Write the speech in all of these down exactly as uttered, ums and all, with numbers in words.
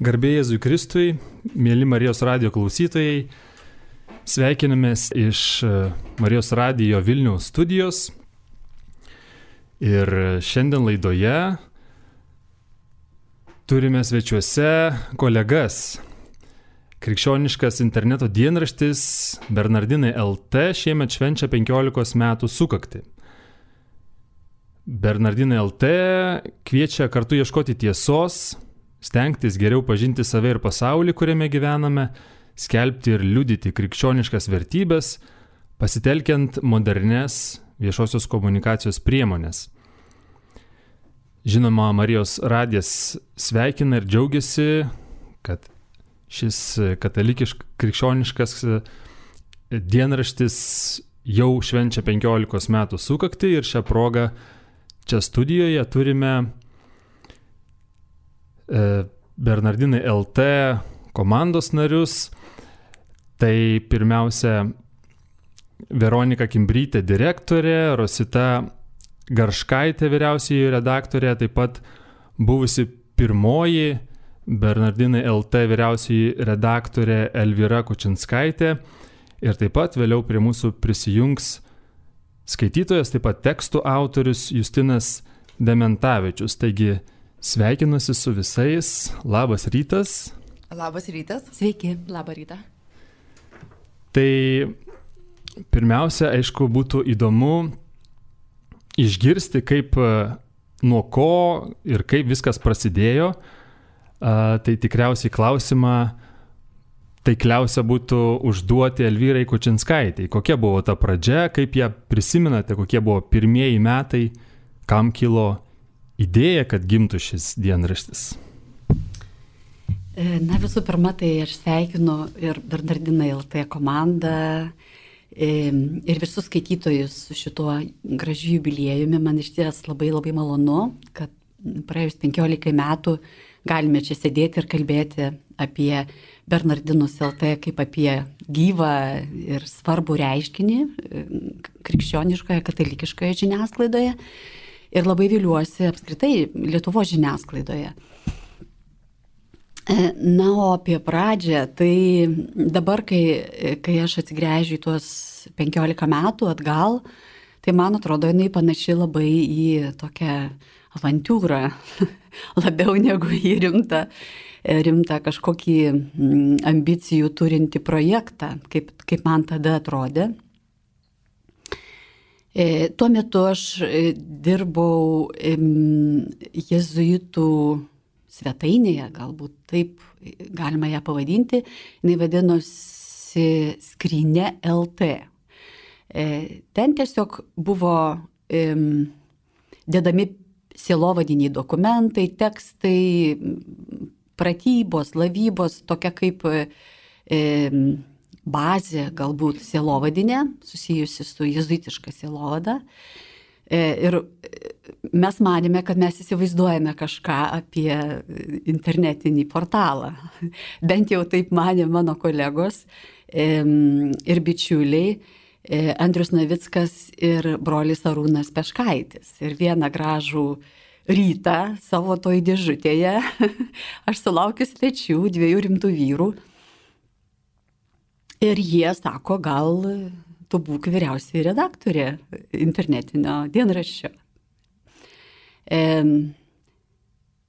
Garbė Jėzui Kristui, mėly Marijos radijo klausytojai, sveikinamės iš Marijos radijo Vilniaus studijos ir šiandien laidoje turime svečiuose kolegas. Krikščioniškas interneto dienraštis Bernardinai L T šiemet švenčia penkiolikos metų sukaktį. Bernardinai L T kviečia kartu ieškoti tiesos, stengtis geriau pažinti save ir pasaulį, kuriame gyvename, skelbti ir liudyti krikščioniškas vertybės, pasitelkiant modernes viešosios komunikacijos priemonės. Žinoma, Marijos radijas sveikina ir džiaugiasi, kad šis katalikiškas krikščioniškas dienraštis jau švenčia penkiolikos metų sukaktį ir šią progą čia studijoje turime Bernardinai L T komandos narius. Tai pirmiausia Veronika Kimbrytė direktorė, Rosita Garškaitė vyriausioji redaktorė, taip pat buvusi pirmoji Bernardinai L T vyriausioji redaktorė Elvyra Kučinskaitė ir taip pat vėliau prie mūsų prisijungs skaitytojas, taip pat tekstų autorius Justinas Dementavičius. Taigi sveikinuosi su visais. Labas rytas. Labas rytas. Sveiki, labą rytą. Tai pirmiausia, aišku, būtų įdomu išgirsti, kaip, nuo ko ir kaip viskas prasidėjo. Tai tikriausiai klausimą taikliausia būtų užduoti Elvyrai Kučinskaitei. Kokia buvo ta pradžia, kaip ją prisimenate, kokie buvo pirmieji metai, kam kilo idėja, kad gimtų šis dienraštis? Na, visų pirma, tai aš sveikinu ir Bernardinai L T komandą ir visus skaitytojus su šituo gražiu jubiliejumi. Man iš ties labai labai malonu, kad praėjus penkiolikai metų galime čia sėdėti ir kalbėti apie Bernardinus L T kaip apie gyvą ir svarbų reiškinį krikščioniškoje, katalikiškoje žiniasklaidoje. Ir labai viliuosi apskritai Lietuvos žiniasklaidoje. Na, o apie pradžią, tai dabar, kai, kai aš atsigręžiu į tuos penkiolika metų atgal, tai man atrodo, jinai panaši labai į tokią avantiūrą, labiau negu į rimtą, rimtą kažkokį ambicijų turinti projektą, kaip, kaip man tada atrodė. E, tuo metu aš dirbau e, jėzuitų svetainėje, galbūt taip galima ją pavadinti, jinai vadinosi Skrynia L T. E, ten tiesiog buvo e, dedami sielovadiniai dokumentai, tekstai, pratybos, lavybos, tokia kaip e, bazė galbūt sielovadinė, susijusi su jėzuitiška sielovada. Ir mes manėme, kad mes įsivaizduojame kažką apie internetinį portalą. Bent jau taip manė mano kolegos ir bičiuliai Andrius Navickas ir brolis Arūnas Peškaitis. Ir vieną gražų rytą savo toj dėžutėje aš sulaukiu svečių, dviejų rimtų vyrų. Ir jie sako, gal tu būk vyriausioji redaktorė internetinio dienraščio. E,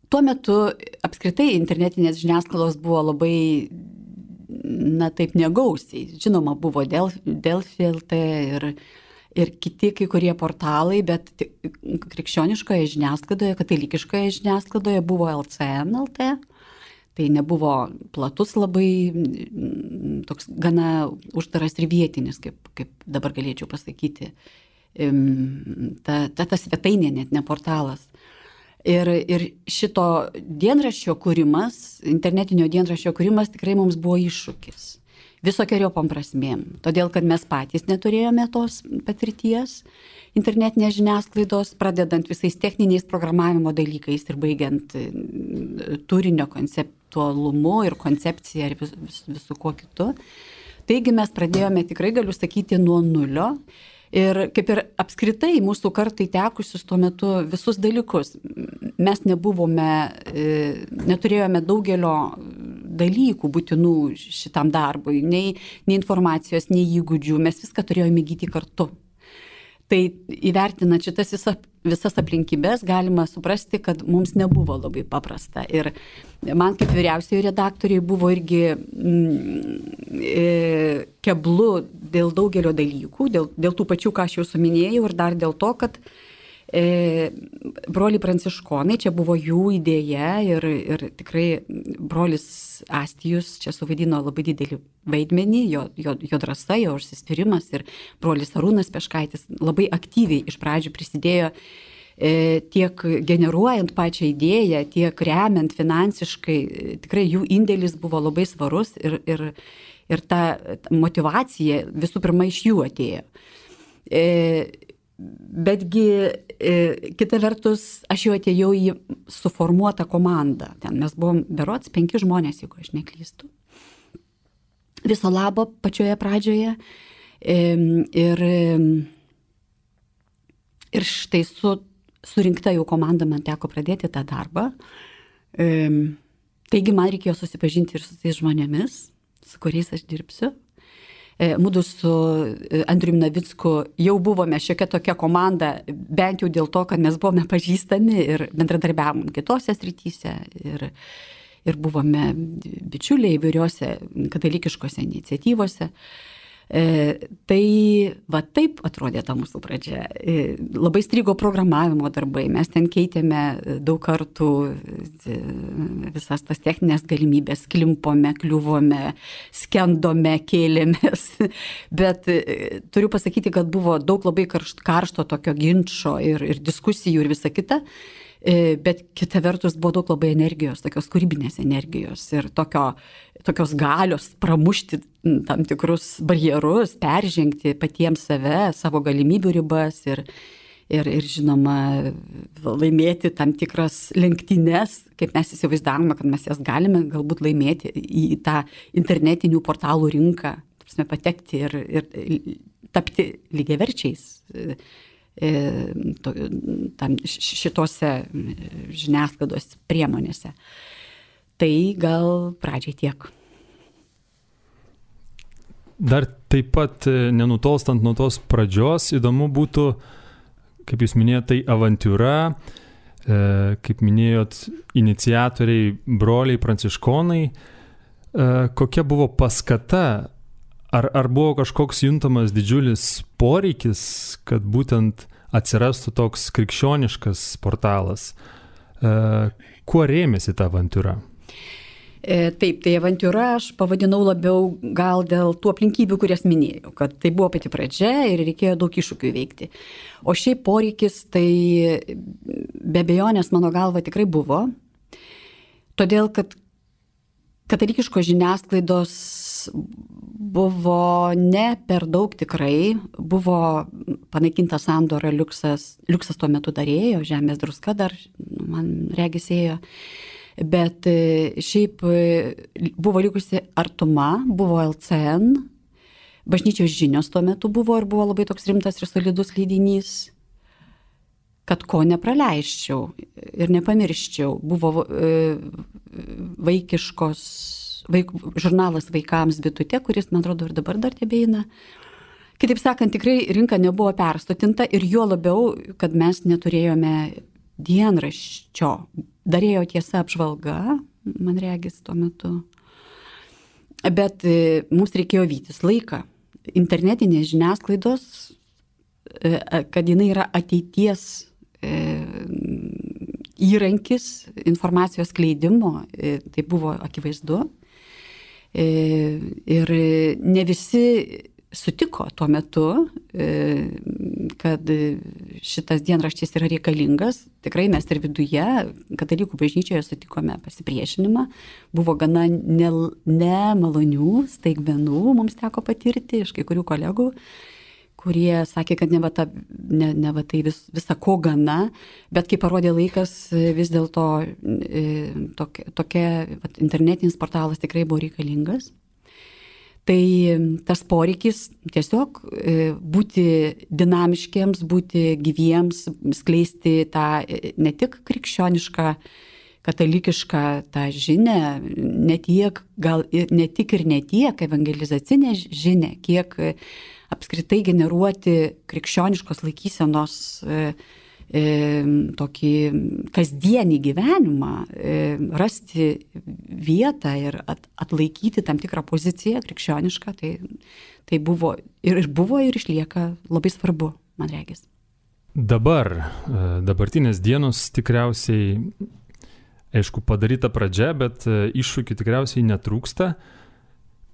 tuo metu apskritai internetinės žiniasklaidos buvo labai, na taip, negausiai. Žinoma, buvo Delfi L T ir, ir kiti kai kurie portalai, bet krikščioniškoje žiniasklaidoje, katalikiškoje žiniasklaidoje buvo L C N L T. Tai nebuvo platus labai, toks gana uždaras ir vietinis, kaip, kaip dabar galėčiau pasakyti. Ta, ta, ta svetainė, net ne portalas. Ir, ir šito dienraščio kūrimas, internetinio dienraščio kūrimas tikrai mums buvo iššūkis. Visokiojopom prasmėm. Todėl, kad mes patys neturėjome tos patirties internetinės žiniasklaidos, pradedant visais techniniais programavimo dalykais ir baigiant turinio konceptualumu ir koncepcija ir vis, vis, visų kuo kitu. Taigi mes pradėjome, tikrai galiu sakyti, nuo nulio Ir kaip ir apskritai mūsų kartai tekusius tuo metu visus dalykus. Mes nebuvome, neturėjome daugelio dalykų būtinų šitam darbui, nei, nei informacijos, nei įgūdžių, mes viską turėjome įgyti kartu. Tai įvertinant šitas visas, visas aplinkybės, galima suprasti, kad mums nebuvo labai paprasta. Ir man kaip vyriausiojo redaktoriai buvo irgi mm, e, keblu dėl daugelio dalykų, dėl, dėl tų pačių, ką aš jau suminėjau, ir dar dėl to, kad e, broliai pranciškonai, čia buvo jų idėja ir, ir tikrai brolis Astijus čia suvaidino labai didelį vaidmenį, jo, jo, jo drąsa, jo užsispyrimas, ir brolis Arūnas Peškaitis labai aktyviai iš pradžių prisidėjo e, tiek generuojant pačią idėją, tiek remiant finansiškai. Tikrai jų indėlis buvo labai svarus ir, ir, ir ta motyvacija visų pirma iš jų atėjo. E, betgi e, kita vertus, aš jau atėjau į suformuotą komandą. Ten mes buvom berods penki žmonės, jeigu aš neklystu. Viso labo pačioje pradžioje. E, ir, ir štai su surinkta jau komanda man teko pradėti tą darbą. E, taigi man reikėjo susipažinti ir su tais žmonėmis, su kuriais aš dirbsiu. Mūdu su Andriumi Navicku jau buvome šiokia tokia komanda, bent jau dėl to, kad mes buvome pažįstami ir bendradarbiavom kitose srityse ir, ir buvome bičiuliai įvairiose katalikiškose iniciatyvose. E, tai va taip atrodė ta mūsų pradžia. E, labai strigo programavimo darbai, mes ten keitėme daug kartų visas tas techninės galimybės, klimpome, kliuvome, skendome, kėlėmės, bet e, turiu pasakyti, kad buvo daug labai karšto, karšto tokio ginčo ir, ir diskusijų ir visa kita. Bet kita vertus buvo daug labai energijos, tokios kūrybinės energijos ir tokio, tokios galios pramušti tam tikrus barjerus, peržengti patiems save, savo galimybių ribas ir, ir, ir žinoma, laimėti tam tikras lenktynes, kaip mes įsivaizdavome, kad mes jas galime galbūt laimėti į tą internetinių portalų rinką, patekti ir, ir tapti lygiaverčiais tam šitose žiniasklaidos priemonėse. Tai gal pradžiai tiek. Dar taip pat nenutolstant nuo tos pradžios, įdomu būtų, kaip jūs minėjote, tai avantiūra, kaip minėjot, iniciatoriai, broliai pranciškonai. Kokia buvo paskata? Ar, ar buvo kažkoks juntamas didžiulis poreikis, kad būtent atsirastų toks krikščioniškas portalas? E, kuo rėmėsi ta avantiūra? E, taip, tai avantiūra aš pavadinau labiau gal dėl tų aplinkybių, kurias minėjau, kad tai buvo pati pradžia ir reikėjo daug iššūkių įveikti. O šiaip poreikis tai be abejonės mano galva tikrai buvo, todėl kad katalikiškos žiniasklaidos buvo ne per daug tikrai, buvo panaikinta sandora Liuksas, Liuksas tuo metu darėjo, Žemės druska dar, man regisėjo, bet šiaip buvo likusi Artuma, buvo L C N, Bažnyčios žinios tuo metu buvo ir buvo labai toks rimtas ir solidus leidinys, kad ko nepraleisčiau ir nepamirščiau. Buvo e, vaikiškos, vaik, žurnalas vaikams Bitutė, kuris, man atrodo, ir dabar dar tebeina. Kitaip sakant, tikrai rinka nebuvo perstotinta ir juo labiau, kad mes neturėjome dienraščio. Darėjo Tiesa apžvalga, man regis tuo metu. Bet e, mums reikėjo vytis laiką. Internetinės žiniasklaidos, e, kad jinai yra ateities įrankis informacijos skleidimo, tai buvo akivaizdu. Ir ne visi sutiko tuo metu, kad šitas dienraštis yra reikalingas. Tikrai mes ir viduje, katalikų bažnyčioje sutikome pasipriešinimą. Buvo gana nemalonių staigmenų mums teko patirti iš kai kurių kolegų, kurie sakė, kad ne va, ta, ne, ne va tai vis, visa ko gana, bet kai parodė laikas, vis dėlto tokia, tokia internetinis portalas tikrai buvo reikalingas. Tai tas poreikis tiesiog būti dinamiškiams, būti gyviems, skleisti tą ne tik krikščionišką, katalikišką tą žinią, ne tiek, gal ne tik ir ne tiek evangelizacinę žinią, kiek apskritai generuoti krikščioniškos laikysenos tokį kasdienį gyvenimą, rasti vietą ir atlaikyti tam tikrą poziciją krikščionišką, tai, tai buvo ir buvo ir išlieka labai svarbu, man regis. Dabar, dabartinės dienos tikriausiai, aišku, padaryta pradžia, bet iššūkių tikriausiai netrūksta.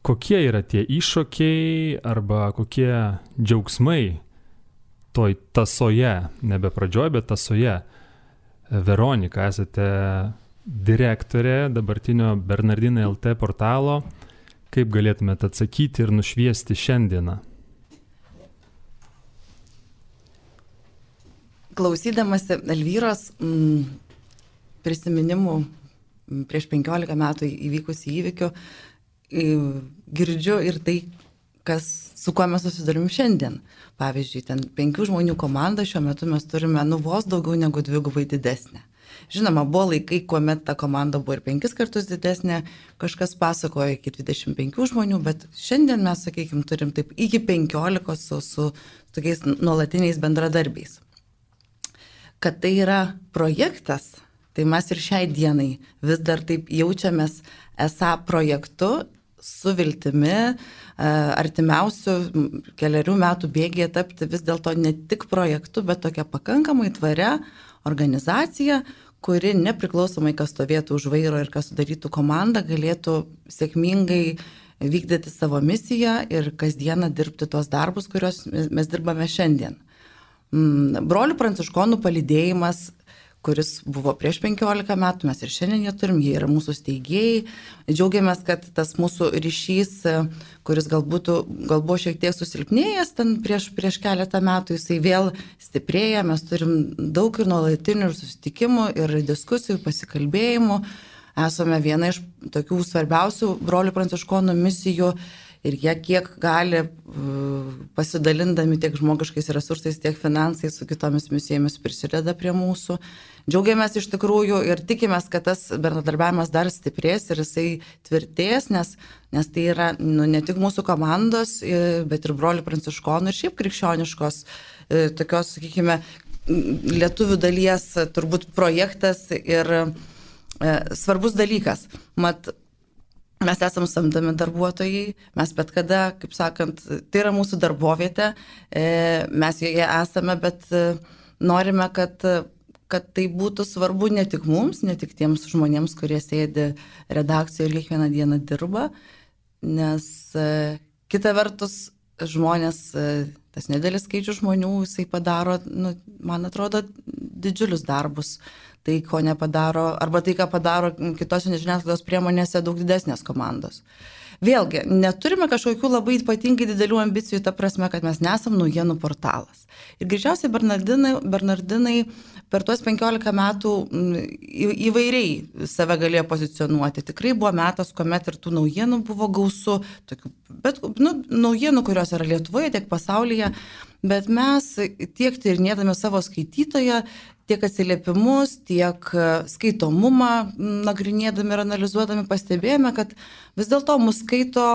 Kokie yra tie iššūkiai arba kokie džiaugsmai toj tasoje, nebe pradžioje, bet tasoje? Veronika, esate direktorė dabartinio Bernardinai L T portalo. Kaip galėtumėte atsakyti ir nušviesti šiandieną? Klausydamasi Elvyros m, prisiminimų prieš penkiolika metų įvykusių įvykių, girdžiu ir tai, kas, su kuo mes susidurim šiandien. Pavyzdžiui, ten penkių žmonių komandą šiuo metu mes turime nu vos daugiau negu dvigubai didesnę. Žinoma, buvo laikai, kuomet ta komanda buvo ir penkis kartus didesnė, kažkas pasakojo iki dvidešimt penkių žmonių, bet šiandien mes, sakykime, turim taip iki penkiolikos su, su tokiais nuolatiniais bendradarbiais. Kad tai yra projektas, tai mes ir šiai dienai vis dar taip jaučiamės esą projektu, su viltimi artimiausių keliarių metų bėgyje tapti vis dėlto ne tik projektu, bet tokia pakankamai tvaria organizacija, kuri nepriklausomai, kas stovėtų už vairo ir kas sudarytų komandą, galėtų sėkmingai vykdyti savo misiją ir kasdieną dirbti tuos darbus, kuriuos mes dirbame šiandien. Brolių pranciškonų palydėjimas, kuris buvo prieš penkiolika metų, mes ir šiandien jie turim, jie yra mūsų steigėjai. Džiaugiamės, kad tas mūsų ryšys, kuris galbūt gal buvo šiek tiek susilpnėjęs ten prieš, prieš keletą metų, jisai vėl stiprėja, mes turim daug ir nuolatinių ir susitikimų, ir diskusijų, pasikalbėjimų. Esame viena iš tokių svarbiausių brolių pranciškonų misijų. Ir jie kiek gali, pasidalindami tiek žmogiškais resursais, tiek finansais su kitomis misijomis prisideda prie mūsų. Džiaugiamės iš tikrųjų ir tikimės, kad tas bendradarbiavimas dar stiprės ir jisai tvirtės, nes, nes tai yra nu, ne tik mūsų komandos, bet ir brolių pranciškonų ir šiaip krikščioniškos, tokios, sakykime, lietuvių dalies turbūt projektas ir e, svarbus dalykas. Mat, mes esam samdomi darbuotojai, mes bet kada, kaip sakant, tai yra mūsų darbovietė, mes joje esame, bet norime, kad, kad tai būtų svarbu ne tik mums, ne tik tiems žmonėms, kurie sėdi redakcijoje ir kiekvieną dieną dirba, nes kita vertus žmonės, tas nedėlis skaičius žmonių, jisai padaro, nu, man atrodo, didžiulius darbus. Tai, ko nepadaro, arba tai, ką padaro kitose žiniasklaidos priemonėse daug didesnės komandos. Vėlgi, neturime kažkokių labai ypatingai didelių ambicijų, ta prasme, kad mes nesam naujienų portalas. Ir greičiausiai Bernardinai, Bernardinai per tuos penkiolika metų įvairiai save galėjo pozicionuoti. Tikrai buvo metas, kuomet ir tų naujienų buvo gausu, tokių, bet nu, naujienų, kurios yra Lietuvoje, tiek pasaulyje, bet mes tiek tyrinėdami savo skaitytoją, tiek atsiliepimus, tiek skaitomumą nagrinėdami ir analizuodami pastebėjome, kad vis dėlto mus skaito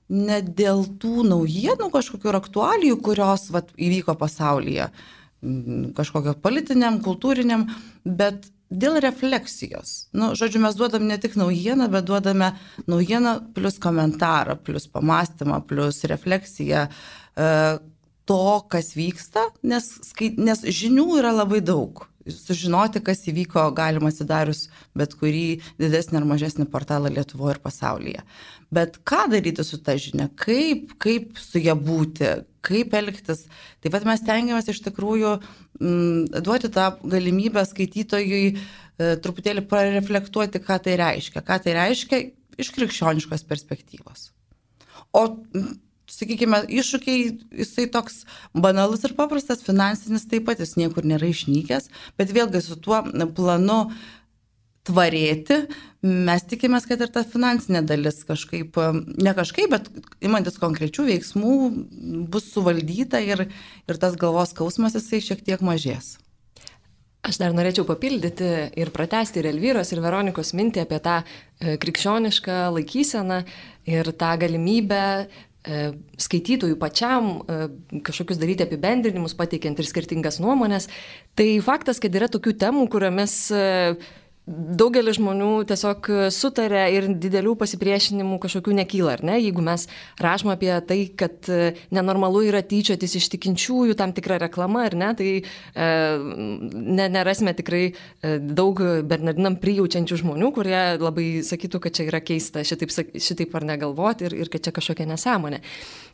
ne dėl tų naujienų kažkokių aktualijų, kurios vat, įvyko pasaulyje, kažkokio politiniam, kultūriniam, bet dėl refleksijos. Nu, žodžiu, mes duodam ne tik naujieną, bet duodame naujieną plus komentarą, plus pamastymą, plus refleksiją to, kas vyksta, nes, nes žinių yra labai daug. Sužinoti, kas įvyko, galima atsidarius bet kurį didesnį ar mažesnį portalą Lietuvoje ir pasaulyje. Bet ką daryti su ta žinia, kaip, kaip su ją būti, kaip elgtis. Taip pat mes tengiamės iš tikrųjų m, duoti tą galimybę skaitytojui e, truputėlį pareflektuoti, ką tai reiškia. Ką tai reiškia iš krikščioniškos perspektyvos. O sakykime, iššūkiai, jisai toks banalus ir paprastas, finansinis taip pat, jis niekur nėra išnykęs, bet vėlgi su tuo planu tvarėti, mes tikimės, kad ir ta finansinė dalis kažkaip, ne kažkaip, bet imantis konkrečių veiksmų bus suvaldyta ir, ir tas galvos skausmas jisai šiek tiek mažės. Aš dar norėčiau papildyti ir pratesti ir Elvyros, ir Veronikos mintį apie tą krikščionišką laikyseną ir tą galimybę skaitytojų pačiam kažkokius daryti apibendrinimus, pateikiant ir skirtingas nuomonės. Tai faktas, kad yra tokių temų, kuriomis daugelis žmonių tiesiog sutarė ir didelių pasipriešinimų kažkokių nekyla, ar ne? Jeigu mes rašom apie tai, kad nenormalu yra tyčiotis iš tikinčiųjų tam tikrą reklamą, ar ne, tai e, ne, nerasime tikrai daug Bernardinam prijaučiančių žmonių, kurie labai sakytų, kad čia yra keista šitaip, šitaip ar negalvoti ir, ir kad čia kažkokia nesąmonė.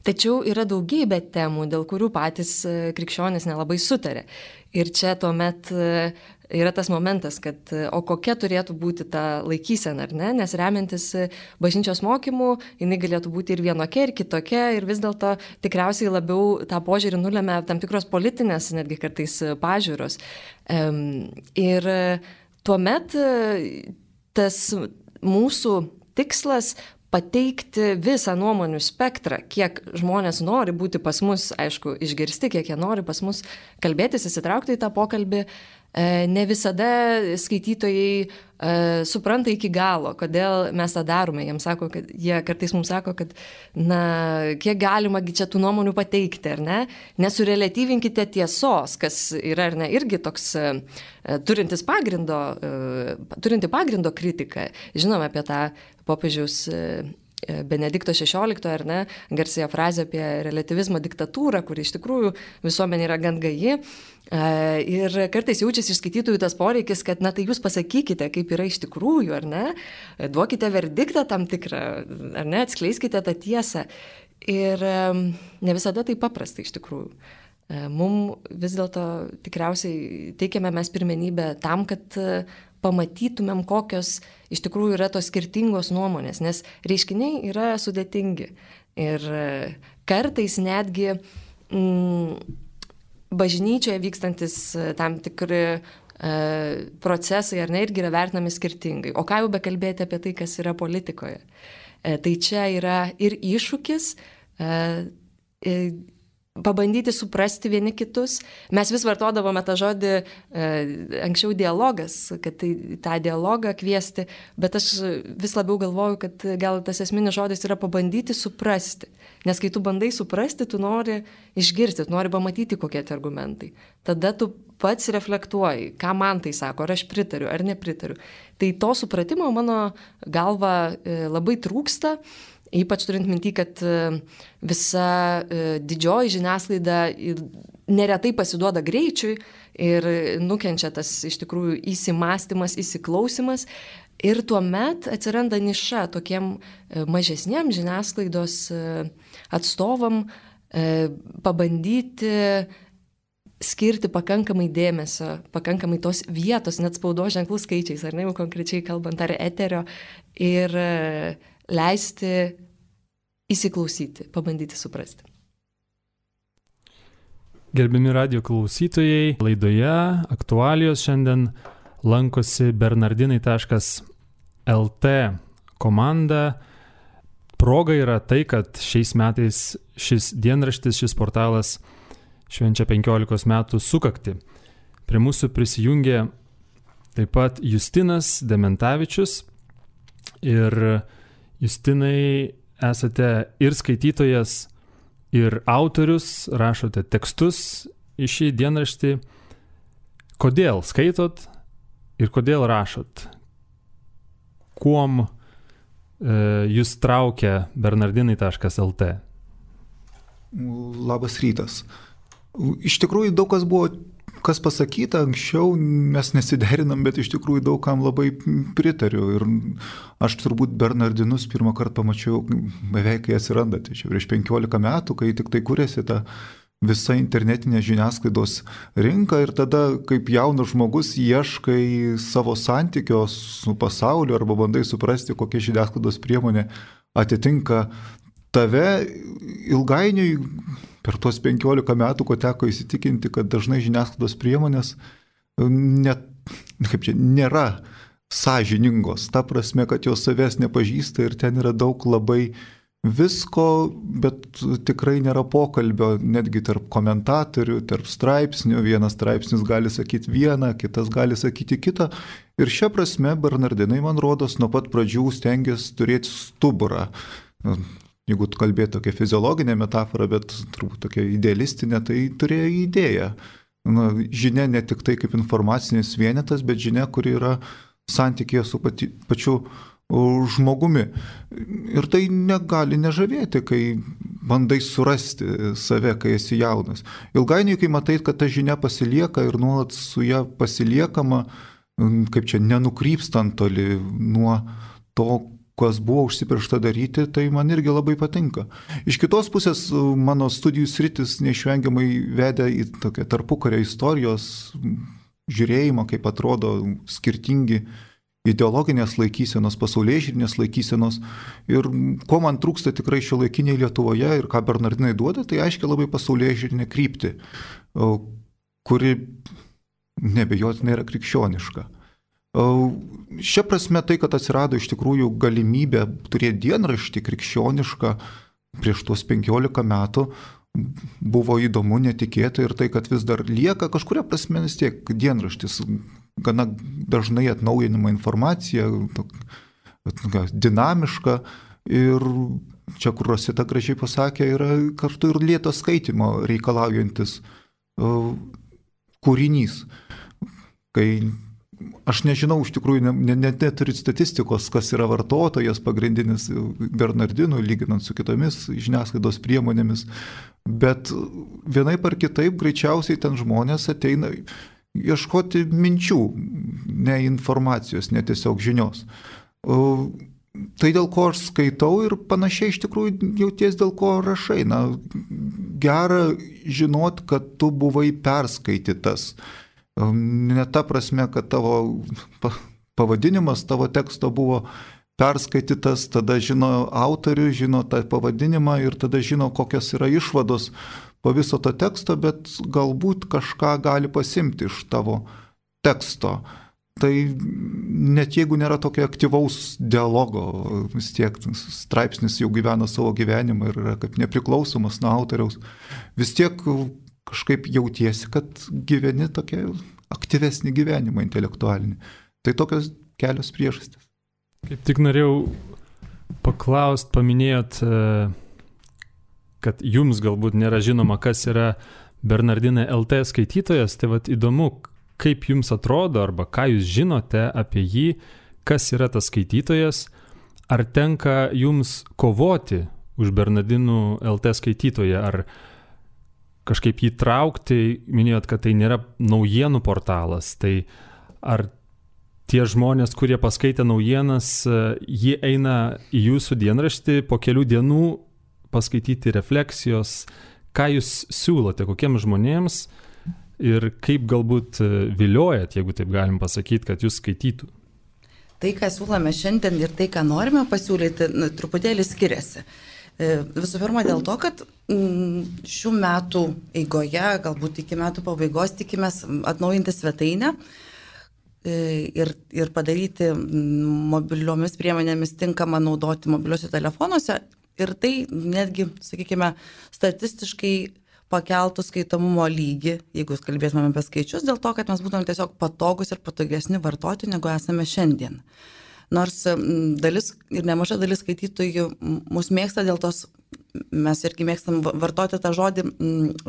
Tačiau yra daugybė temų, dėl kurių patys krikščionys nelabai sutarė. Ir čia tuomet yra tas momentas, kad o kokia turėtų būti ta laikysena, ar ne? Nes remiantis bažnyčios mokymų, jinai galėtų būti ir vienokia, ir kitokia, ir vis dėlto tikriausiai labiau tą požiūrį nulemia tam tikros politinės, netgi kartais pažiūros. Ir tuomet tas mūsų tikslas pateikti visą nuomonių spektrą, kiek žmonės nori būti pas mus, aišku, išgirsti, kiek jie nori pas mus kalbėtis, įsitraukti į tą pokalbį. Ne visada skaitytojai supranta iki galo, kodėl mes tą darome. Jiems sako, kad jie kartais mums sako, kad na, kiek galima čia tų nuomonių pateikti, ar ne? Nesureliatyvinkite tiesos, kas yra, ar ne, irgi toks turintis pagrindo, turinti pagrindo kritiką. Žinome apie tą popiežiaus Benedikto šešioliktojo, ar ne, garsėja frazė apie relativizmo diktatūrą, kuri iš tikrųjų visuomenė yra gan gaji. Ir kartais jaučiasi iš skaitytojų tas poreikis, kad, na tai jūs pasakykite, kaip yra iš tikrųjų, ar ne, duokite verdiktą tam tikrą, ar ne, atskleiskite tą tiesą. Ir ne visada tai paprasta iš tikrųjų. Mums vis dėlto tikriausiai teikiame mes pirmenybę tam, kad pamatytumėm, kokios iš tikrųjų yra tos skirtingos nuomonės, nes reiškiniai yra sudėtingi. Ir kartais netgi mm, bažnyčioje vykstantis tam tikri e, procesai, ar ne, irgi yra vertinami skirtingai. O ką jau bekalbėti apie tai, kas yra politikoje. E, tai čia yra ir iššūkis, e, e, pabandyti suprasti vieni kitus. Mes vis vartodavome tą žodį e, anksčiau dialogas, kad tai, tą dialogą kviesti, bet aš vis labiau galvoju, kad gal tas esminis žodis yra pabandyti suprasti. Nes kai tu bandai suprasti, tu nori išgirsti, tu nori pamatyti, kokie tie argumentai. Tada tu pats reflektuoji, ką man tai sako, ar aš pritariu, ar nepritariu. Tai to supratimo mano galva e, labai trūksta. Ypač turint minty, kad visa didžioji žiniasklaida neretai pasiduoda greičiui ir nukenčia tas iš tikrųjų įsimastymas, įsiklausimas. Ir tuomet atsiranda niša tokiem mažesniem žiniasklaidos atstovam pabandyti skirti pakankamai dėmesio, pakankamai tos vietos, net spaudos ženklų skaičiais, ar ne, jau konkrečiai kalbant, ar eterio, ir leisti įsiklausyti, pabandyti suprasti. Gerbiami radijo klausytojai, laidoje aktualijos šiandien lankosi bernardinai taškas el te komanda. Proga yra tai, kad šiais metais šis dienraštis, šis portalas švenčia penkiolikos metų sukaktį. Prie mūsų prisijungė taip pat Justinas Dementavičius. Ir Justinai, esate ir skaitytojas, ir autorius, rašote tekstus į šį dienraštį. Kodėl skaitot ir kodėl rašot? Kuom e, jūs traukia bernardinai taškas el te? Labas rytas. Iš tikrųjų daug kas buvo kas pasakyta anksčiau, mes nesiderinam, bet iš tikrųjų daug kam labai pritariu. Ir aš turbūt Bernardinus pirmą kartą pamačiau beveik, kai atsirandate. Čia prieš penkiolika metų, kai tik tai kūrėsi ta visa internetinė žiniasklaidos rinka ir tada, kaip jaunas žmogus, ieškai savo santykio su pasauliu arba bandai suprasti, kokia žiniasklaidos priemonė atitinka tave. Ilgainiui per tuos penkiolika metų, ko teko įsitikinti, kad dažnai žiniasklaidos priemonės net, kaip čia, nėra sąžiningos, ta prasme, kad jos savęs nepažįsta ir ten yra daug labai visko, bet tikrai nėra pokalbio netgi tarp komentatorių, tarp straipsnių. Vienas straipsnis gali sakyti vieną, kitas gali sakyti kitą. Ir šia prasme Bernardinai, man rodos, nuo pat pradžių stengiasi turėti stuburą. Jeigu kalbėtų tokia fiziologinė metafora, bet turbūt tokia idealistinė, tai turėjo idėją. Na, žinia ne tik tai kaip informacinis vienetas, bet žinia, kuri yra santykėje su pati, pačiu žmogumi. Ir tai negali nežavėti, kai bandai surasti save, kai esi jaunas. Ilgainiui, kai matai, kad ta žinia pasilieka ir nuolat su ją pasiliekama, kaip čia nenukrypstant toli nuo to, kas buvo užsipriešta daryti, tai man irgi labai patinka. Iš kitos pusės mano studijų sritis neišvengiamai vedė į tokią tarpukario istorijos žiūrėjimą, kaip atrodo skirtingi ideologinės laikysenos, pasaulėžiūrinės laikysenos. Ir ko man trūksta tikrai šiuolaikiniai Lietuvoje ir ką Bernardinai duoda, tai aiškiai labai pasaulėžiūrinė kryptį, kuri nebejotinai yra krikščioniška. Šia prasme tai, kad atsirado iš tikrųjų galimybė turėti dienraštį krikščionišką prieš tuos penkiolika metų, buvo įdomu, netikėta ir tai, kad vis dar lieka kažkuria prasme vis tiek dienraštis, gana dažnai atnaujinama informacija, dinamiška ir čia, kur Rosita gražiai pasakė, yra kartu ir lėto skaitimo reikalaujantis kūrinys. Kai aš nežinau, iš tikrųjų, net ne, neturiu statistikos, kas yra vartotojas pagrindinis Bernardinų, lyginant su kitomis žiniasklaidos priemonėmis, bet vienaip ar kitaip greičiausiai ten žmonės ateina ieškoti minčių, ne informacijos, ne tiesiog žinios. Tai dėl ko aš skaitau ir panašiai iš tikrųjų jauties dėl ko rašai. Na, gera žinot, kad tu buvai perskaitytas. Ne ta prasme, kad tavo pavadinimas tavo teksto buvo perskaitytas, tada žino autorių, žino tą pavadinimą ir tada žino, kokios yra išvados po viso to teksto, bet galbūt kažką gali pasimti iš tavo teksto. Tai net jeigu nėra tokio aktyvaus dialogo, vis tiek straipsnis jau gyvena savo gyvenimą ir yra kaip nepriklausomas nuo autoriaus, vis tiek kažkaip jautiesi, kad gyveni tokia aktyvesnį gyvenimą intelektualinį. Tai tokios kelios priežastys. Kaip tik norėjau paklaust, paminėjot, kad jums galbūt nėra žinoma, kas yra Bernardinai L T skaitytojas, tai vat įdomu, kaip jums atrodo arba ką jūs žinote apie jį, kas yra tas skaitytojas, ar tenka jums kovoti už Bernardinų L T skaitytoją, ar kažkaip jį traukti, minėjot, kad tai nėra naujienų portalas, tai ar tie žmonės, kurie paskaitė naujienas, jie eina į jūsų dienraštį po kelių dienų paskaityti refleksijos, ką jūs siūlote, kokiems žmonėms ir kaip galbūt viliojat, jeigu taip galim pasakyti, kad jūs skaitytų. Tai, ką siūlome šiandien ir tai, ką norime pasiūlyti, nu, truputėlį skiriasi. Visų pirma, dėl to, kad šių metų eigoje, galbūt iki metų pabaigos, tikimės atnaujinti svetainę ir, ir padaryti mobiliomis priemonėmis tinkamą naudoti mobiliuose telefonuose. Ir tai netgi, sakykime, statistiškai pakeltų skaitomumo lygį, jeigu kalbėtume apie skaičius, dėl to, kad mes būtume tiesiog patogus ir patogesni vartoti, negu esame šiandien. Nors dalis ir nemaža dalis skaitytojų mus mėgsta dėl tos, mes irgi mėgstam vartoti tą žodį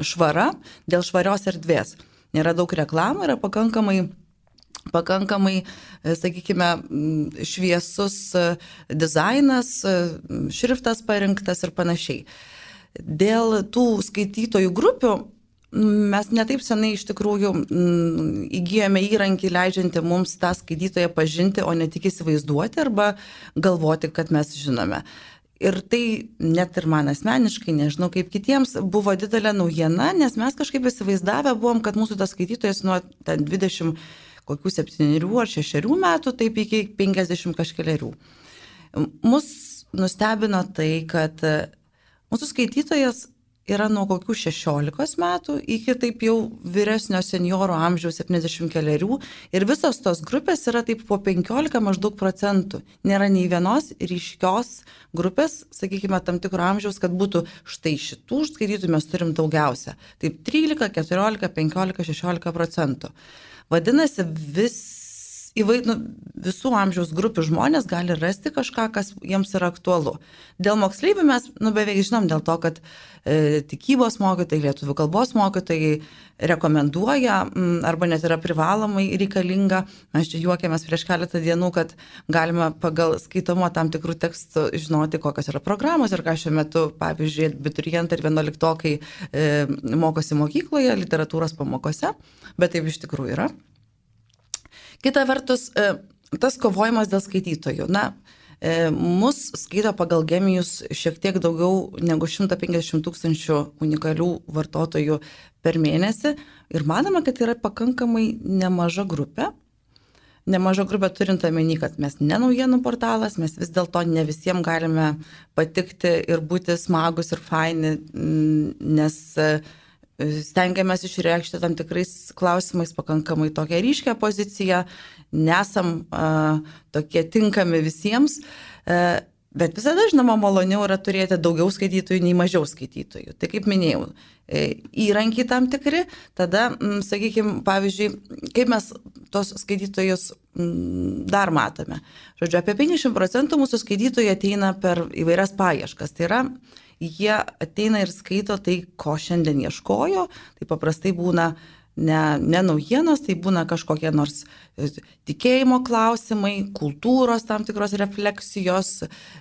švara, dėl švarios erdvės. Nėra daug reklamų, yra pakankamai pakankamai, sakykime, šviesus dizainas, šriftas parinktas ir panašiai. Dėl tų skaitytojų grupių mes netaip senai iš tikrųjų įgijome įrankį leidžiantį mums tą skaitytoją pažinti, o ne tik įsivaizduoti arba galvoti, kad mes žinome. Ir tai net ir man asmeniškai, nežinau kaip kitiems, buvo didelė naujiena, nes mes kažkaip įsivaizdavę buvom, kad mūsų tas skaitytojas nuo dvidešimt kokių septynerių ar šešerių metų, taip iki penkiasdešimt kažkeliarių. Mus nustebino tai, kad mūsų skaitytojas yra nuo kokių šešiolikos metų iki taip jau vyresnio senioro amžiaus septyniasdešimt kelerių ir visos tos grupės yra taip po penkiolika maždaug procentų. Nėra nei vienos ryškios grupės, sakykime, tam tikro amžiaus, kad būtų štai šitų skaitytojų mes turim daugiausia. Taip trylika, keturiolika, penkiolika, šešiolika procentų. Vadinasi, vis Įvai, nu, visų amžiaus grupių žmonės gali rasti kažką, kas jiems yra aktualu. Dėl moksleivių mes nu, beveik žinom dėl to, kad e, tikybos mokytojai, lietuvių kalbos mokytojai rekomenduoja m, arba net yra privalomai reikalinga. Mes čia juokėmės prieš keletą dienų, kad galima pagal skaitomą tam tikrų tekstų žinoti, kokios yra programos ir ką šiuo metu, pavyzdžiui, abiturientai ir vienuoliktokai e, mokosi mokykloje, literatūros pamokose, bet taip iš tikrųjų yra. Kita vertus, tas kovojimas dėl skaitytojų. Na, mus skaito pagal Gemijus šiek tiek daugiau negu šimtas penkiasdešimt tūkstančių unikalių vartotojų per mėnesį ir manome, kad yra pakankamai nemaža grupė. Nemaža grupė turint omeny, kad mes ne naujienų portalas, mes vis dėlto ne visiems galime patikti ir būti smagus ir faini, nes stengiamės išreikšti tam tikrais klausimais pakankamai tokią ryškę poziciją, nesam a, tokie tinkami visiems, a, bet visada, žinoma, maloniau yra turėti daugiau skaitytojų nei mažiau skaitytojų. Tai kaip minėjau, įrankiai tam tikri, tada, m, sakykime, pavyzdžiui, kaip mes tos skaitytojus m, dar matome. Žodžiu, apie penkiasdešimt procentų mūsų skaitytojų ateina per įvairias paieškas. Tai yra, jie ateina ir skaito tai, ko šiandien ieškojo, tai paprastai būna ne, ne naujienos, tai būna kažkokie nors tikėjimo klausimai, kultūros tam tikros refleksijos,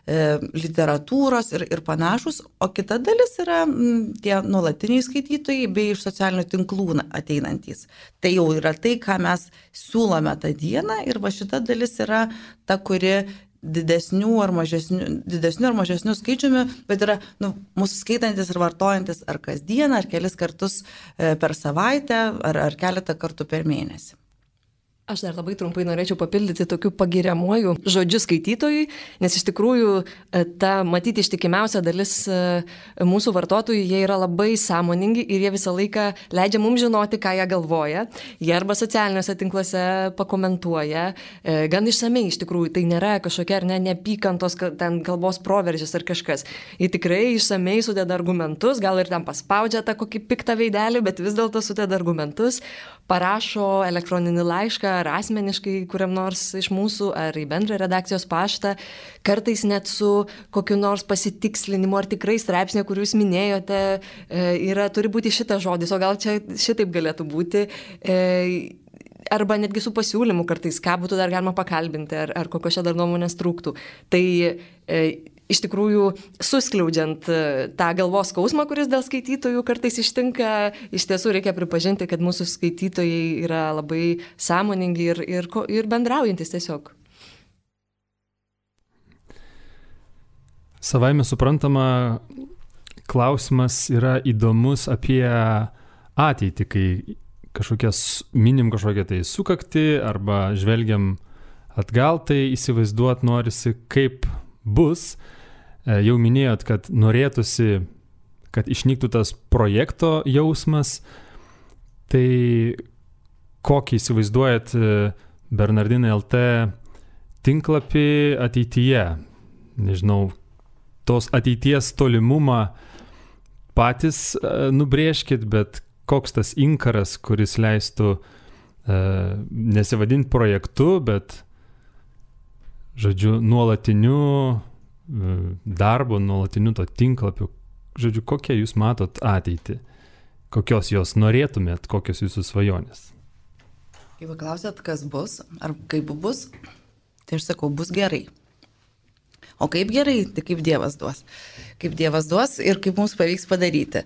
e, literatūros ir, ir panašus, o kita dalis yra m, tie nuolatiniai skaitytojai bei iš socialinių tinklų ateinantys. Tai jau yra tai, ką mes siūlome tą dieną ir va šita dalis yra ta, kuri didesnių ar mažesnių, didesnių ar mažesnių skaičiumi, bet yra nu, mūsų skaitantis ir vartojantis ar kasdieną, ar kelis kartus per savaitę, ar, ar keletą kartų per mėnesį. Aš dar labai trumpai norėčiau papildyti tokiu pagiriamuoju žodžiu skaitytojui, nes iš tikrųjų ta matyti ištikimiausia dalis mūsų vartotojų, jie yra labai sąmoningi ir jie visą laiką leidžia mums žinoti, ką jie galvoja. Jie arba socialiniuose tinkluose pakomentuoja, gan išsamei iš tikrųjų, tai nėra kažkokia ar ne neapykantos ten kalbos proveržis ar kažkas. Jie tikrai išsamei sudeda argumentus, gal ir ten paspaudžia tą kokį piktą veidelį, bet vis dėlto sudeda argumentus, parašo elektroninį laišką ar asmeniškai kuriam nors iš mūsų, ar į bendrą redakcijos paštą, kartais net su kokiu nors pasitikslinimu, ar tikrai straipsnė, kur jūs minėjote, yra, turi būti šitas žodis, o gal čia šitaip galėtų būti, arba netgi su pasiūlymu kartais, ką būtų dar galima pakalbinti, ar, ar kokios čia dar nuomonės trūktų. Tai iš tikrųjų, suskliaudžiant tą galvos skausmą, kuris dėl skaitytojų kartais ištinka, iš tiesų reikia pripažinti, kad mūsų skaitytojai yra labai sąmoningi ir, ir, ir bendraujantis tiesiog. Savaime suprantama, klausimas yra įdomus apie ateitį, kai kažkokias minim kažkokią tai sukakti arba žvelgiam atgal, tai įsivaizduot norisi, kaip bus. Jau minėjot, kad norėtųsi, kad išnyktų tas projekto jausmas, tai kokį įsivaizduojat Bernardinai L T tinklapį ateityje? Nežinau, tos ateities tolimumą patys nubrėžkit, bet koks tas inkaras, kuris leistų nesivadinti projektu, bet, žodžiu, nuolatiniu darbo, nuolatiniu to tinklapiu. Žodžiu, kokią jūs matot ateitį? Kokios jos norėtumėt? Kokios jūsų svajonės? Jeigu klausėt, kas bus, ar kaip bus, tai aš sakau, bus gerai. O kaip gerai, tai kaip Dievas duos. Kaip Dievas duos ir kaip mums pavyks padaryti.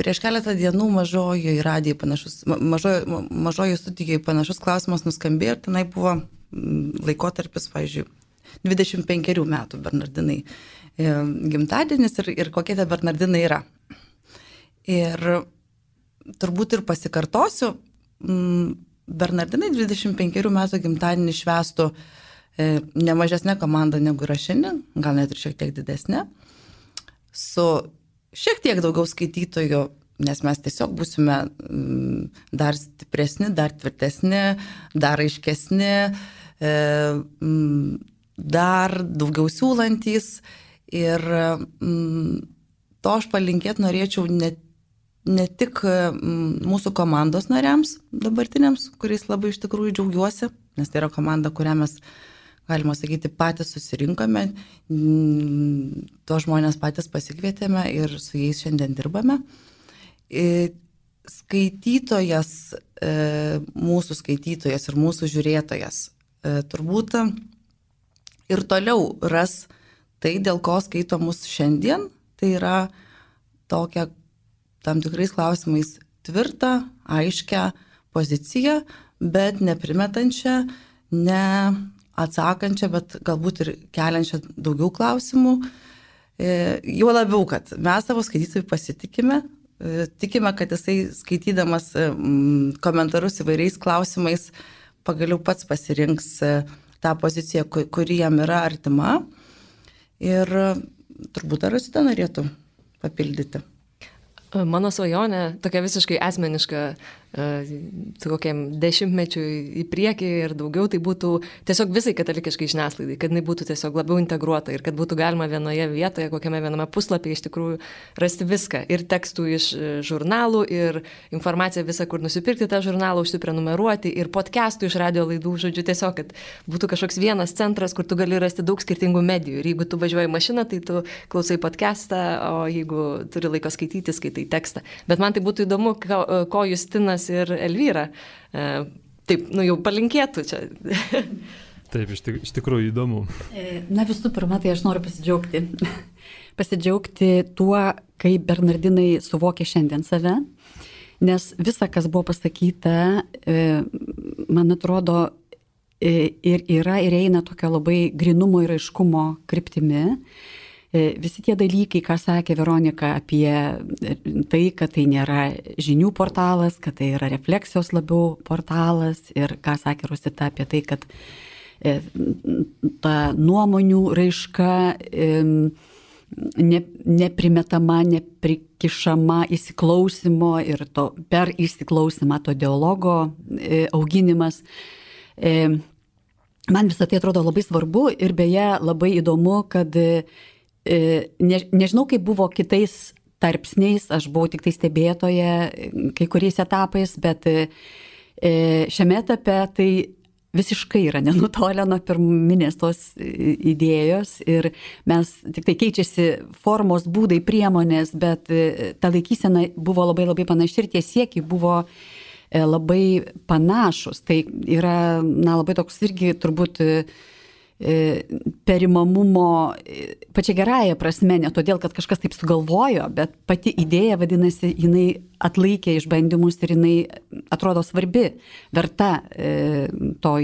Prieš keletą dienų mažojoje radijai panašus, mažojo, mažojo studijoje panašus klausimas nuskambėjo ir tenai buvo laikotarpis, pavyzdžiui, dvidešimt penkerių metų Bernardinai gimtadienis ir, ir kokie tie Bernardinai yra. Ir turbūt ir pasikartosiu, Bernardinai dvidešimt penkerių metų gimtadienį švęstų ne mažesnė komanda negu yra šiandien, gal net ir šiek tiek didesnė. su šiek tiek daugiau skaitytojų, nes mes tiesiog būsime dar stipresni, dar tvirtesni, dar aiškesni, dar daugiau siūlantys. Ir to aš palinkėti norėčiau ne, ne tik mūsų komandos nariams dabartiniams, kuriais labai iš tikrųjų džiaugiuosi, nes tai yra komanda, kurią mes, galima sakyti, patys susirinkome, to žmonės patys pasikvietėme ir su jais šiandien dirbame. Skaitytojas, mūsų skaitytojas ir mūsų žiūrėtojas turbūt ir toliau ras tai, dėl ko skaito mus šiandien, tai yra tokia tam tikrais klausimais tvirtą, aiškę poziciją, bet neprimetančią, ne atsakančią, bet galbūt ir keliančią daugiau klausimų. Juo labiau, kad mes savo skaitytojų pasitikime, tikime, kad jisai skaitydamas komentarus įvairiais klausimais pagaliau pats pasirinks tą poziciją, kuri jam yra artima. Ir turbūt ar Rosita norėtų papildyti? Mano svajonė, tokia visiškai asmeniška, kokiam dešimtmečiui į priekį ir daugiau, tai būtų tiesiog visai katalikiškai žiniasklaidai, kad jinai būtų tiesiog labiau integruota ir kad būtų galima vienoje vietoje, kokiame viename puslapyje iš tikrųjų rasti viską. Ir tekstų iš žurnalų, ir informaciją visą, kur nusipirkti tą žurnalą, užsiprenumeruoti, ir podcastų iš radio laidų, žodžiu, tiesiog, kad būtų kažkoks vienas centras, kur tu gali rasti daug skirtingų medijų. Ir jeigu tu važiuoji mašiną, tai tu klausai podcastą, o jeigu turi laiko skaityti, skaitai tekstą. Bet man tai būtų įdomu, ko, ko Justinas ir Elvyra taip, nu jau palinkėtų čia. Taip, iš, tik, iš tikrųjų įdomu. Na visų pirma, tai aš noriu pasidžiaugti. Pasidžiaugti tuo, kaip bernardinai suvokia šiandien save, nes visa, kas buvo pasakyta, man atrodo, ir yra, ir eina tokio labai grinumo ir aiškumo kryptimi. Visi tie dalykai, ką sakė Veronika apie tai, kad tai nėra žinių portalas, kad tai yra refleksijos labiau portalas, ir ką sakė Rosita apie tai, kad ta nuomonių raiška ne, neprimetama, neprikišama įsiklausimo ir to, per įsiklausimą to dialogo auginimas. Man visą tai atrodo labai svarbu ir beje labai įdomu, kad Ne, nežinau, kaip buvo kitais tarpsniais, aš buvau tik tai stebėtoje kai kuriais etapais, bet šiame etape tai visiškai yra nenutolę nuo pirminės tos idėjos ir mes tik tai keičiasi formos, būdai, priemonės, bet ta laikysena buvo labai labai panaši ir tie siekiai buvo labai panašus. Tai yra, na, labai toks irgi turbūt perimamumo pačia gerąja prasme, ne todėl, kad kažkas taip sugalvojo, bet pati idėja, vadinasi, jinai atlaikė išbandymus ir jinai atrodo svarbi, verta to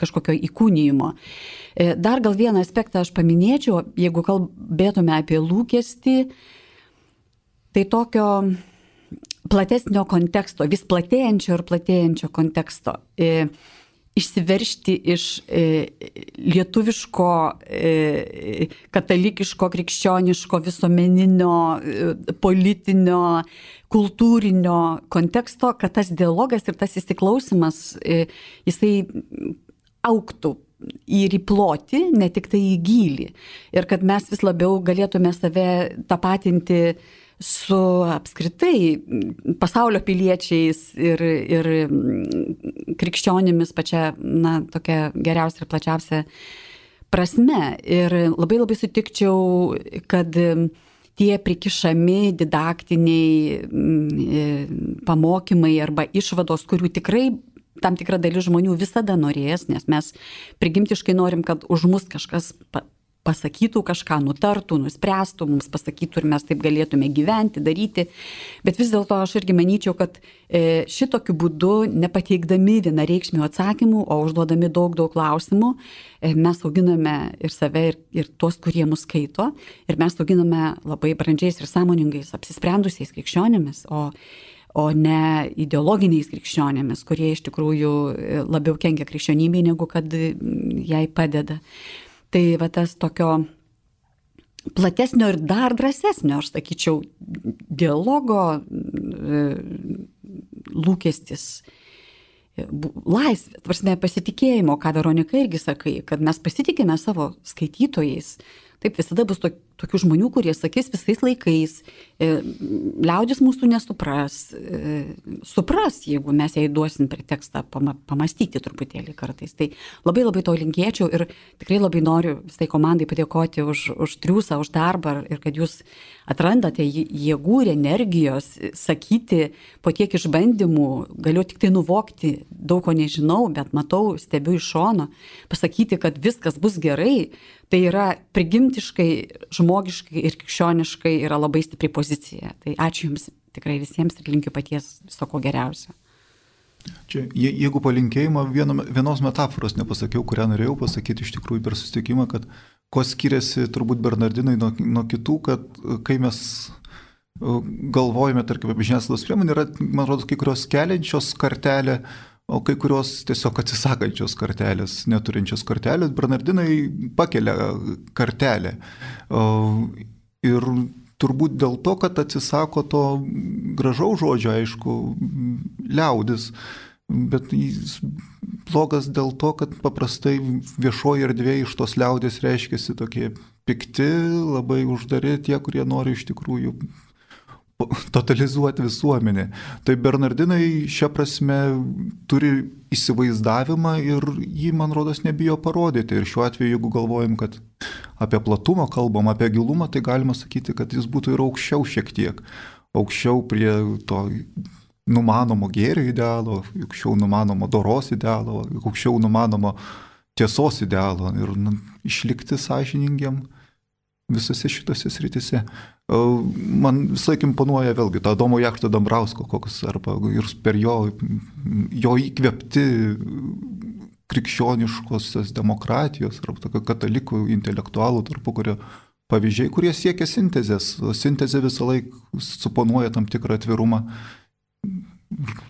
kažkokio įkūnijimo. Dar gal vieną aspektą aš paminėčiau, jeigu kalbėtume apie lūkestį, tai tokio platesnio konteksto, vis platėjančio ir platėjančio konteksto. Išsiveršti iš e, lietuviško, e, katalikiško, krikščioniško, visuomeninio, e, politinio, kultūrinio konteksto, kad tas dialogas ir tas įsiklausimas, e, jisai augtų ir į plotį, ne tik tai į gylį. Ir kad mes vis labiau galėtume save tapatinti su apskritai pasaulio piliečiais ir, ir krikščionimis pačia, na, tokia geriausia ir plačiausia prasme. Ir labai labai sutikčiau, kad tie prikišami didaktiniai pamokymai arba išvados, kurių tikrai tam tikra dalis žmonių visada norės, nes mes prigimtiškai norim, kad už mus kažkas pasakytų kažką, nutartų, nuspręstų, mums pasakytų ir mes taip galėtume gyventi, daryti. Bet vis dėlto aš irgi manyčiau, kad šitokiu būdu, nepateikdami vienareikšmių atsakymų, o užduodami daug, daug klausimų, mes auginame ir save, ir, ir tuos, kurie mus skaito. Ir mes auginame labai brandžiais ir sąmoningais, apsisprendusiais krikščionėmis, o, o ne ideologiniais krikščionėmis, kurie iš tikrųjų labiau kenkia krikščionybei, negu kad jai padeda. Tai va tas tokio platesnio ir dar drąsesnio, aš sakyčiau, dialogo lūkestis, laisvė, prasme, pasitikėjimo, ką Veronika irgi sakai, kad mes pasitikime savo skaitytojais. Taip, visada bus to, tokių žmonių, kurie sakys visais laikais, e, liaudis mūsų nesupras, e, supras, jeigu mes jai duosim pretekstą pama, pamastyti truputėlį kartais. Tai labai labai to linkėčiau ir tikrai labai noriu visai komandai padėkoti už, už triūsą, už darbą ir kad jūs atrandate jėgų ir energijos sakyti po tiek išbandymų, galiu tik tai nuvokti, daug ko nežinau, bet matau, stebiu iš šono, pasakyti, kad viskas bus gerai. Tai yra prigimtiškai, žmogiškai ir krikščioniškai yra labai stipri pozicija. Tai ačiū Jums tikrai visiems ir linkiu paties viso ko geriausio. Čia, je, jeigu palinkėjimą vieno, vienos metaforos nepasakiau, kurią norėjau pasakyti iš tikrųjų per susitikimą, kad ko skiriasi turbūt Bernardinai nuo, nuo kitų, kad kai mes galvojame, tarkim, apie žiniasklaidos priemonę, yra, man rodos, kai kurios keliančios kartelę, o kai kurios tiesiog atsisakančios kartelės, neturinčios kartelės, Bernardinai pakelia kartelę. Ir turbūt dėl to, kad atsisako to gražaus žodžio, aišku, liaudis, bet jis blogas dėl to, kad paprastai viešoji erdvė iš tos liaudės reiškiasi tokie pikti, labai uždari tie, kurie nori iš tikrųjų totalizuoti visuomenę. Tai Bernardinai šia prasme turi įsivaizdavimą ir jį, man rodos, nebijo parodyti. Ir šiuo atveju, jeigu galvojam, kad apie platumą kalbam, apie gilumą, tai galima sakyti, kad jis būtų ir aukščiau šiek tiek. Aukščiau prie to numanomo gėrio idealo, aukščiau numanomo doros idealo, aukščiau numanomo tiesos idealo ir nu, išlikti sąžiningiam visose šitose sritise. Man visai imponuoja vėlgi tą Adomo Jakšto Dambrausko, koks, arba ir per jo, jo įkvėpti krikščioniškosios demokratijos, arba tokio katalikų intelektualų tarpukario pavyzdžiai, kurie siekia sintezės. Sintezė visą laiką suponuoja tam tikrą atvirumą.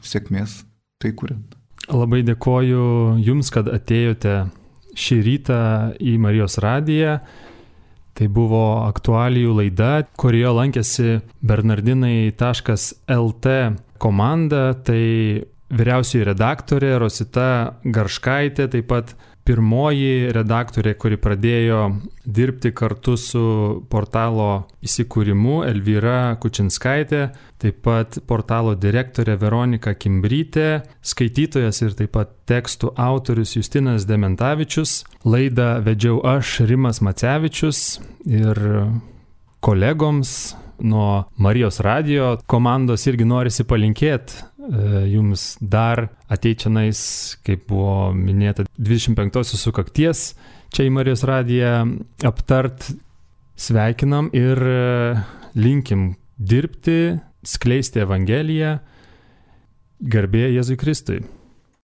Sėkmės tai kuriant. Labai dėkoju Jums, kad atėjote šį rytą į Marijos radiją. Tai buvo aktualijų laida, kurioje lankėsi bernardinai taškas el te komanda, tai vyriausioji redaktorė Rosita Garškaitė, taip pat pirmoji redaktorė, kuri pradėjo dirbti kartu su portalo įsikūrimu, Elvyra Kučinskaitė, taip pat portalo direktorė Veronika Kimbrytė, skaitytojas ir taip pat tekstų autorius Justinas Dementavičius. Laidą vedžiau aš, Rimas Macevičius, ir kolegoms nuo Marijos radijo komandos irgi norisi palinkėti jums dar ateičianais, kaip buvo minėta, dvidešimt penktosios sukakties čia į Marijos radiją aptart. Sveikinam ir linkim dirbti, skleisti Evangeliją. Garbė Jėzui Kristui.